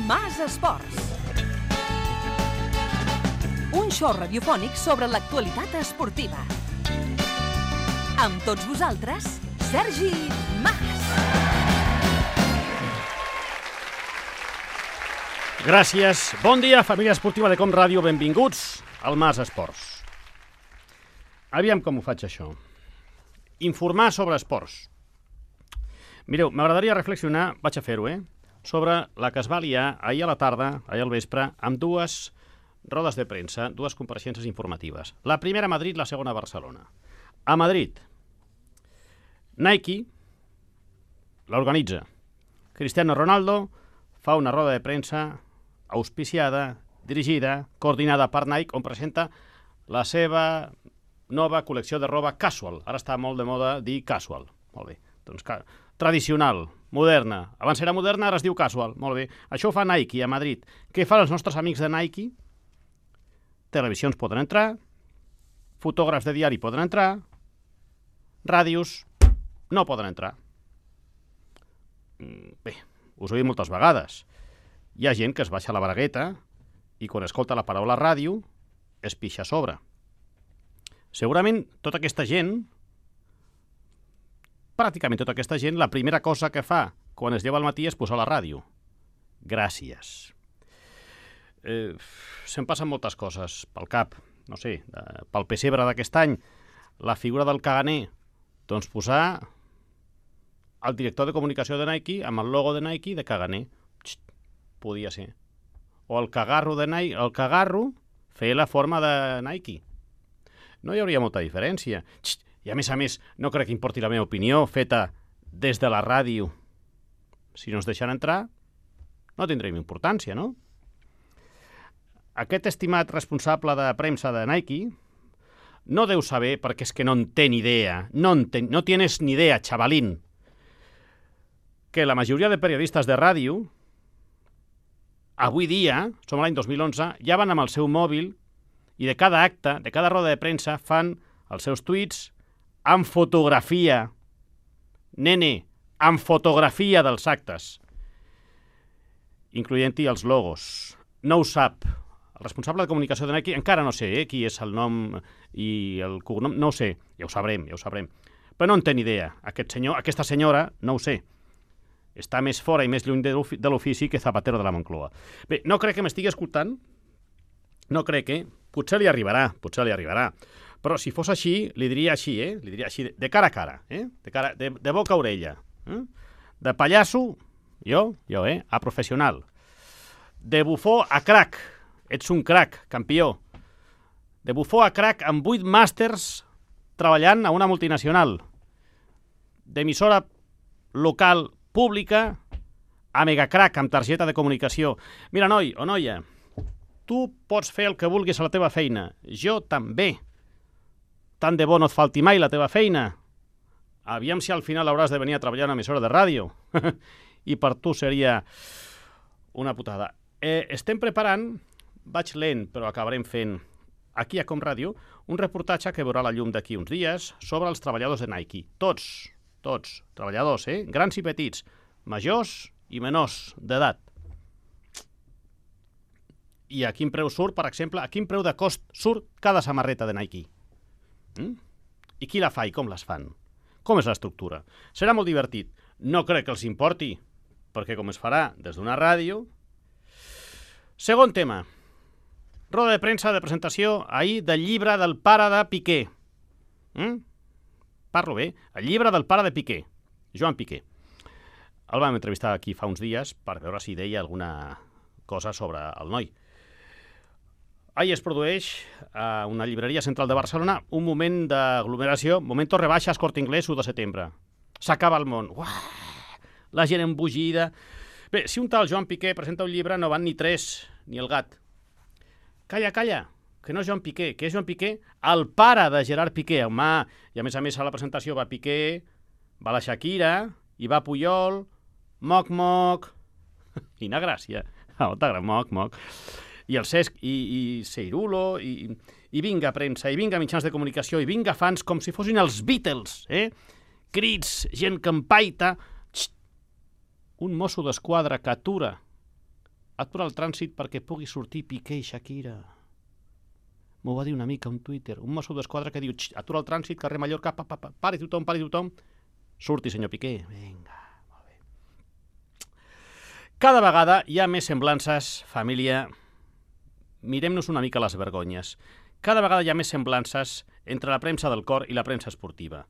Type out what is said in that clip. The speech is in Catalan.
Mas Esports. Un show radiofònic sobre l'actualitat esportiva. Amb tots vosaltres, Sergi Mas. Gràcies. Bon dia, família esportiva de Com Ràdio. Benvinguts al Mas Esports. Aviam com ho faig, això. Informar sobre esports. Mireu, m'agradaria reflexionar, vaig a fer-ho, sobre la que es va liar ahir a la tarda, ahir al vespre, amb dues rodes de premsa, dues compareixences informatives. La primera a Madrid, la segona a Barcelona. A Madrid, Nike l'organitza. Cristiano Ronaldo fa una roda de premsa auspiciada, dirigida, coordinada per Nike, on presenta la seva nova col·lecció de roba casual. Ara està molt de moda dir casual. Molt bé. Doncs tradicional, moderna. Abans era moderna, ara es diu casual. Molt bé. Això ho fa Nike a Madrid. Què fan els nostres amics de Nike? Televisions poden entrar, fotògrafs de diari poden entrar, ràdios no poden entrar. Bé, us ho he dit moltes vegades. Hi ha gent que es baixa la bragueta i quan escolta la paraula ràdio es pixa a sobre. Segurament tota aquesta gent, pràcticament tota aquesta gent, la primera cosa que fa quan es lleva al matí és posar la ràdio. Gràcies. Se'm passen moltes coses pel cap, no sé, pel pessebre d'aquest any, la figura del caganer, doncs posar el director de comunicació de Nike amb el logo de Nike de caganer. Podia ser. O el cagarro de Nike, el cagarro fer la forma de Nike. No hi hauria molta diferència. I a més, no crec que importi la meva opinió feta des de la ràdio. Si no ens deixen entrar, no tindrem importància, no? Aquest estimat responsable de premsa de Nike no deu saber, perquè és que no en té ni idea, no tienes ni idea, xavalín, que la majoria de periodistes de ràdio, avui dia, som l'any 2011, ja van amb el seu mòbil i de cada acte, de cada roda de premsa, fan els seus tuits amb fotografia. Nene, amb fotografia dels actes, incloent-hi els logos. No ho sap. El responsable de comunicació de Nike, encara no sé qui és el nom i el cognom, no ho sé, ja ho sabrem. Però no en té ni idea. Aquest senyor, aquesta senyora, no ho sé. Està més fora i més lluny de l'ofici que Zapatero de la Moncloa. Bé, no crec que m'estigui escoltant, no crec que... Potser li arribarà. Però si fos així, li diria així, li diria així, de cara a cara, de boca a orella. De pallasso, jo, a professional. De bufó a crac, ets un crac, campió. De bufó a crac amb 8 màsters treballant a una multinacional. D'emissora local pública a megacrac amb targeta de comunicació. Mira, noi o noia, tu pots fer el que vulguis a la teva feina. Jo també. Tant de bo no et falti mai la teva feina. Aviam si al final hauràs de venir a treballar a una emissora de ràdio. I per tu seria una putada. Estem preparant, vaig lent, però acabarem fent, aquí a Com Ràdio, un reportatge que veurà la llum d'aquí uns dies sobre els treballadors de Nike. Tots, treballadors, grans i petits, majors i menors d'edat. I a quin preu surt, per exemple, a quin preu de cost surt cada samarreta de Nike? I qui la fa i com les fan? Com és l'estructura? Serà molt divertit. No crec que els importi, perquè com es farà des d'una ràdio... Segon tema. Roda de premsa de presentació ahir del llibre del pare de Piqué. Parlo bé? El llibre del pare de Piqué, Joan Piqué. El vam entrevistar aquí fa uns dies per veure si deia alguna cosa sobre el noi. Ahir es produeix a una llibreria central de Barcelona un moment d'aglomeració, momento rebaixes Corte Inglés 1 de setembre. S'acaba el món. La gent embogida. Bé, si un tal Joan Piqué presenta un llibre no van ni 3 ni el gat. Calla, que no és Joan Piqué, que és Joan Piqué, el pare de Gerard Piqué. Home, i a més a la presentació va Piqué, va la Shakira, i va Puyol, moc. Quina gràcia. Moc. I el Cesc, i Seirulo, i vinga premsa, i vinga mitjans de comunicació, i vinga fans com si fossin els Beatles, crits, gent que empaita. Un mosso d'esquadra que atura atura el trànsit perquè pugui sortir Piqué i Shakira. M'ho va dir una mica un Twitter, un mosso d'esquadra que diu atura el trànsit, carrer Mallorca, pari tothom. Surti, senyor Piqué. Vinga, molt bé. Cada vegada hi ha més semblances, família. Mirem-nos una mica les vergonyes. Cada vegada hi ha més semblances entre la premsa del cor i la premsa esportiva.